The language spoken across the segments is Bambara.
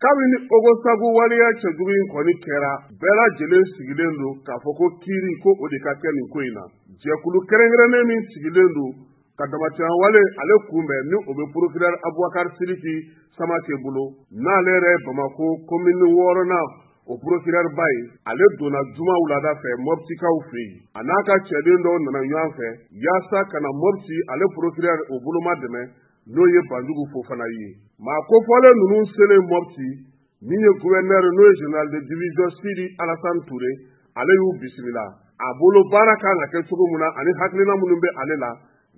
Kabini Ogosagu waleya cɛjugu in kɔni kɛra, bɛɛ lajɛlen sigilen don k'a fɔ ko kiiri ko o de ka kɛ nin ko in na. Jɛkulu kɛrɛnkɛrɛnnen min sigilen don ka damatɛmɛwale ale kunbɛn, ni o bɛ procureur Abubakar Sidiki Samake bolo, n'ale yɛrɛ ye Bamakɔ commune 6nan o procureur ba ye, ale donna juma wulada fɛ Mɔptikaw fɛ yen. A n'a ka cɛden dɔw nana ɲɔgɔn fɛ yaasa ka na Mɔpti ale procureur o boloma dɛmɛ, n'o ye Banjugu Fofana ye. Maa kofɔlen ninnu selen Mɔpti, min ye gouverneur n'o ye général de division Sidi Alassane Touré, ale y'u bisimila. A bolo baara kan ka kɛ cogo min na ani hakilina minnu bɛ ale la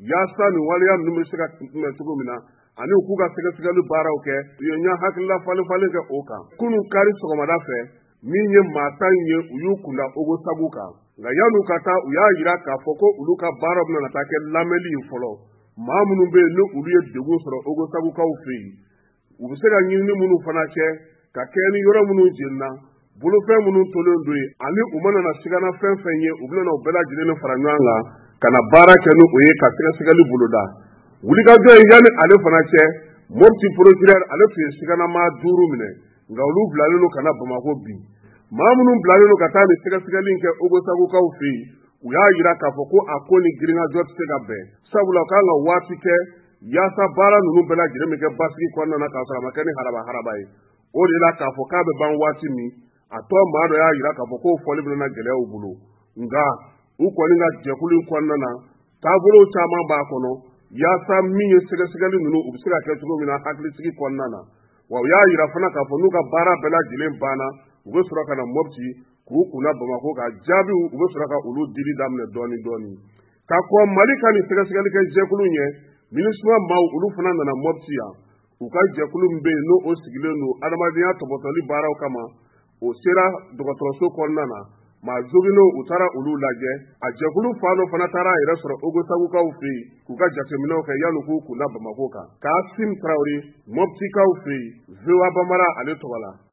yaasa nin waleya ninnu bɛ se ka kunbɛn cogo min na, ani u k'u ka sɛgɛsɛgɛli baaraw kɛ, u ye ɲɛ hakilila falen falen kɛ o kan. Kunun kari sɔgɔmada fɛ, min ye maa 10 ye, u y'u kunda Ogosagu kan. Nka yan'u ka taa, u y'a jira k'a fɔ ko olu ka baara bɛna taa kɛ lamɛnli ye fɔlɔ. Maa minnu bɛ yen ni olu ye degun sɔrɔ Ogosagukaw fɛ yen, u bɛ se ka ɲinini minnu fana kɛ ka kɛɲɛ ni yɔrɔ minnu jenina, bolofɛn minnu tolen don yen, ani u mana na sigana fɛn fɛn ye, u bɛna o bɛɛ lajɛlen fara ɲɔgɔn kan ka na baara kɛ ni o ye ka sɛgɛsɛgɛli boloda. Wulikajɔ ye yanni ale fana cɛ, Mopti procureur ale tun ye siganamaa 5 minɛ, nka olu bilalen don ka na Bamakɔ bi. Maa minnu bilalen don ka taa nin sɛgɛsɛgɛli in kɛ Ogosagukaw fɛ yen, u y'a jira k'a fɔ ko a ko ni girinkajɔ tɛ se ka bɛn, sabula u kan ka waati kɛ yaasa baara ninnu bɛɛ lajɛlen bɛ kɛ basigi kɔnɔna na k'a sɔrɔ a ma kɛ ni haraba haraba ye. O de la k'a fɔ k'a bɛ ban waati min, a tɔ maa dɔ y'a jira k'a fɔ k'o fɔli bɛna gɛlɛya u bolo. Nka u kɔni ka jɛkulu in kɔnɔna na, taabolo caman b'a kɔnɔ yaasa min ye sɛgɛsɛgɛli ninnu u bɛ se ka kɛ cogo min na hakilisigi kɔnɔna na. Wa u y'a jira fana k'a fɔ n'u ka baara bɛɛ lajɛlen banna, u bɛ sɔrɔ ka na Mopti k'u kunna Bamakɔ ka jaabiw u bɛ sɔrɔ ka olu dili daminɛ dɔɔni dɔɔni. Ka kɔn Mali ka nin sɛgɛsɛgɛli kɛ jɛkulu ɲɛ, MINUSMA maaw olu fana nana Mopti yan. U ka jɛkulu min bɛ yen n'o o sigilen don adamadenya tɔpɔtɔli baaraw kama, o sera dɔgɔtɔrɔso kɔnɔna na. Maa joginnenw u taara olu lajɛ. A jɛkulu fan dɔ fana taara a yɛrɛ sɔrɔ Ogosagukaw fɛ yen k'u ka jateminɛw kɛ yanni k'u kunda Bamakɔ kan. Kasim Tarawele, Moptikaw fɛ yen, VOA Bambara ale tɔgɔ la.